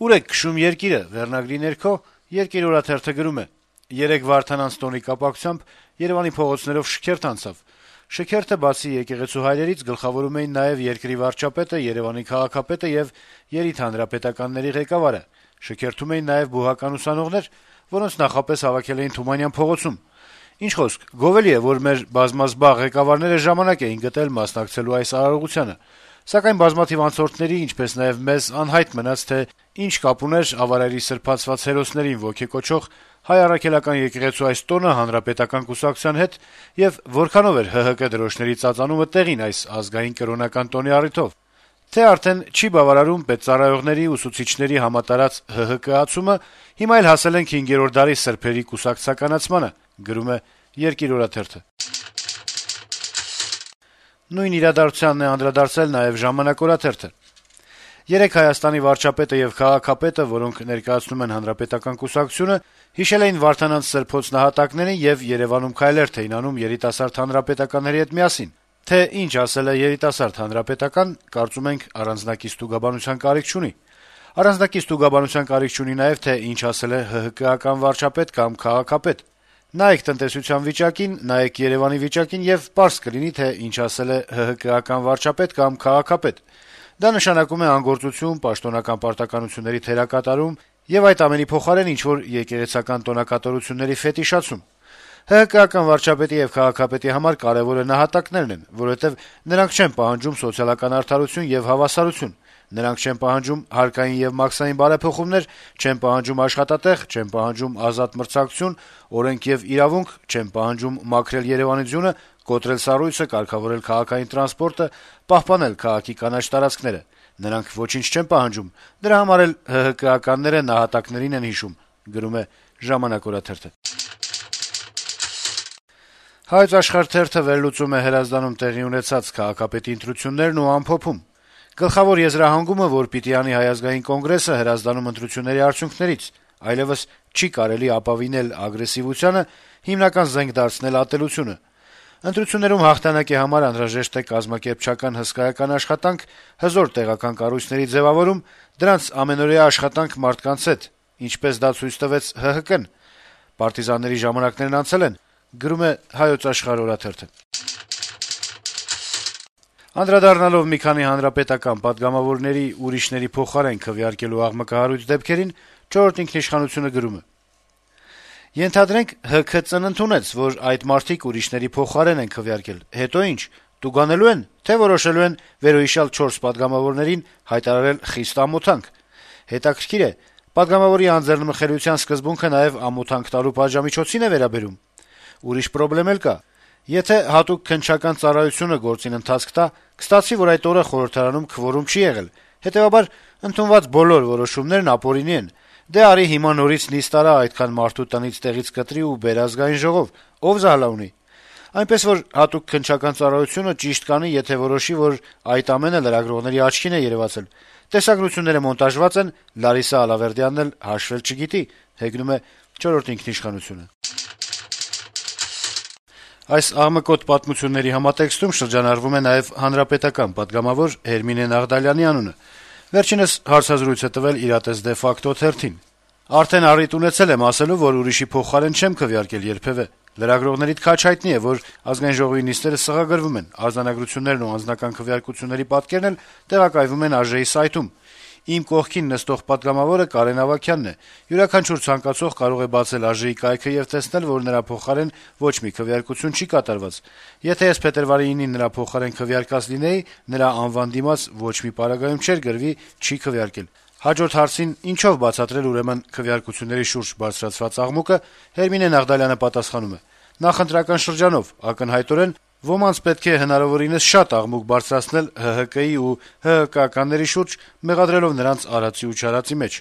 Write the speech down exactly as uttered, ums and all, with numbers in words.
«Ուր եք քշում երկիրը» վերնագրի ներքո «Երկիր» օրաթերթը գրում է. - «Երեկ Վարդանանց տոնի կապակցությամբ Երեւանի փողոցներով շքերթ անցավ։ Շքերթը բացի եկեղեցու հայրերից գլխավորում էին նաեւ երկրի վարչապետը, Երեւանի քաղաքապետը եւ երիտհանրապետականների ղեկավարը։ Շքերթում էին նաեւ բուհական ուսանողներ, որոնց նախապես հավաքել էին Թումանյան փողոցում։ Ինչ խոսք, գովելի է, որ մեր բազմազբաղ ղեկավարները ժամանակ էին գտել մասնակցելու այս արարողությանը։ Սակայն բազմաթիվ անցորդների, ինչպես նաեւ մեզ անհայտ մնաց, թե ինչ կապ ուներ ավարայրի սրբացված հերոսներին ոգեկոչող Հայ առաքելական եկեղեցու այս տոնը հանրապետական կուսակցության հետ եւ որքանով էր ՀՀԿ դրոշների ծածանումը տեղին այս ազգային կրոնական տոնի առիթով։ Թե արդեն չի բավարարում պետծառայողների, ուսուցիչների համատարած ՀՀԿ-ացումը, հիմա էլ հասել ենք հինգերորդ դարի սրբերի կուսակցականացմանը, գրում է Երկիր օրաթերթը։ Նույն իրադարձությանն է անդրադարձել նաեւ Ժամանակ օրաթերթը։ Երեկ Հայաստանի վարչապետը եւ քաղաքապետը, որոնք ներկայացնում են հանրապետական կուսակցությունը, հիշել էին Վարդանանց սրբոց նահատակներին եւ Երեւանում քայլերթ էին անում երիտասարդ հանրապետականների հետ միասին։ Թե ինչ ասել է երիտասարդ հանրապետական, կարծում ենք առանձնակից ստուգաբանության կարիք չունի։ Առանձնակից ստուգաբանության կարիք չունի նաեւ, թե ինչ ասել է ՀՀԿ-ական վարչապետ կամ քաղաքապետ։ Նայեք տնտեսության վիճակին, նայեք Երեւանի վիճակին եւ պարզ կլինի, թե ինչ ասել է ՀՀԿ-ական վարչապետ կամ քաղաքապետ։ Դա նշանակում է անգործություն, պաշտոնական պարտականությունների թերակատարում եւ այդ ամենի փոխարեն ինչ-որ եկեղեցական տոնակատարությունների ֆետիշացում։ ՀՀԿ-ական վարչապետի եւ քաղաքապետի համար կարեւորը նահատակներն են, որովհետեւ նրանք չեն պահանջում սոցիալական արդարություն եւ հավասարություն, նրանք չեն պահանջում հարկային եւ մաքսային բարեփոխումներ, չեն պահանջում աշխատատեղ, չեն պահանջում ազատ մրցակցություն, օրենք եւ իրավունք, չեն պահանջում մաքրել Երեւանի ձյունը, կոտրել սառույցը, կարգավորել քաղաքային տրանսպորտը, պահպանել քաղաքի կանաչ տարածքները։ Նրանք ոչինչ չեն պահանջում, դրա համար էլ ՀՀԿ-ականները նահատակներին են հիշում, գրում է Ժամանակ օրաթերթը։ Հայոց Աշխարհ թերթը վերլուծում է Հրազդանում տեղի ունեցած քաղաքապետի ընտրություններն ու ամփոփում. - Գլխավոր եզրահանգումը, որ պիտի անի Հայ ազգային կոնգրեսը Հրազդանում ընտրությունների արդյունքներից, այլեւս չի կարելի ապավինել ագրեսիվությանը, հիմնական զենք դարձնել ատելությունը։ Ընտրություններում հաղթանակի համար անհրաժեշտ է կազմակերպչական հսկայական աշխատանք, հզոր տեղական կառույցների ձեւավորում, դրանց ամենօրյա աշխատանք մարդկանց հետ, ինչպես դա ցույց տվեց ՀՀԿ-ն։ Պարտիզանների ժամանակներն անցել են, գրում է Հայոց Աշխարհ օրաթերթը։ Անդրադառնալով մի քանի հանրապետական պատգամավորների ուրիշների փոխարեն քվեարկելու աղմկահարույց դեպքերին, «Չորրորդ ինքնիշխանություն»-ը գրում է. - «Ենթադրենք ՀՔ ծննդունեց, որ այդ մարդիկ ուրիշների փոխարեն են քվեարկել, հետո ի՞նչ, տուգանելու են, թե որոշելու են վերոհիշյալ չորս պատգամավորներին հայտարարել խիստ ամոթանք։ Հետաքրքիր է, պատգամավորի անձեռնմխելիության սկզբունքը նաեւ ամոթանք տալու պատժամիջոցին է վերաբերում։ Ուրիշ պրոբլեմ էլ կա. եթե հատուկ քննչական ծառայությունը գործին ընթացք տա, կստացվի, որ այդ օրը խորհրդարանում քվորում չի եղել, հետեւաբար ընդունված բոլոր որոշումներն ապօրինի են։ Դե արի հիմա նորից նիստ արա այդքան մարդու տնից տեղից կտրի ու բեր ազգային ժողով, ով զահլա ունի։ Այնպես որ հատուկ քննչական ծառայությունը ճիշտ կանի, եթե որոշի, որ այդ ամենը լրագրողների աչքին է երեւացել։ Տեսագրությունները մոնտաժված են, Լարիսա Ալավերդյանն էլ հաշվել չգիտի», հեգնում է «Չորրորդ ինքնիշխանություն»-ը։ Այս աղմկոտ պատմությունների համատեքստում շրջանառվում է նաեւ հանրապետական պատգամավոր Հերմինե Նաղդալյանի անունը։ Վերջինս հարցազրույց է տվել «Իրատես դե ֆակտո» թերթին. - «Արդեն առիթ ունեցել եմ ասելու, որ ուրիշի փոխարեն չեմ քվեարկել երբեւէ։ Լրագրողների թքաչ հայտնի է, որ Ազգային ժողովի նիստերը սղագրվում են, արձանագրություններն ու անձնական քվեարկությունների պատկերն էլ տեղակայվում են ԱԺ-ի սայթում։ Իմ կողքին նստող պատգամավորը Կարեն Ավագյանն է։ Յուրաքանչյուր ցանկացող կարող է բացել ԱԺ-ի կայքը եւ տեսնել, որ նրա փոխարեն ոչ մի քվեարկություն չի կատարված։ Եթե ես փետրվարի ինին նրա փոխարեն քվեարկած լինեի, նրա անվան դիմաց ոչ մի պարագայում չէր գրվի «չի քվեարկել»։ Հաջորդ հարցին ինչով բացատրել ուրեմն քվեարկությունների շուրջ բարձրացված աղմուկը, Հերմինե Նաղդալյանը պատասխանում է. նախընտրական շրջանով ակնհայտորեն ոմանց պետք է հնարավորինս շատ աղմուկ բարձրացնել ՀՀԿ-ի ու ՀՀԿ-ականների շուրջ, մեղադրելով նրանց արածի ու չարածի մեջ։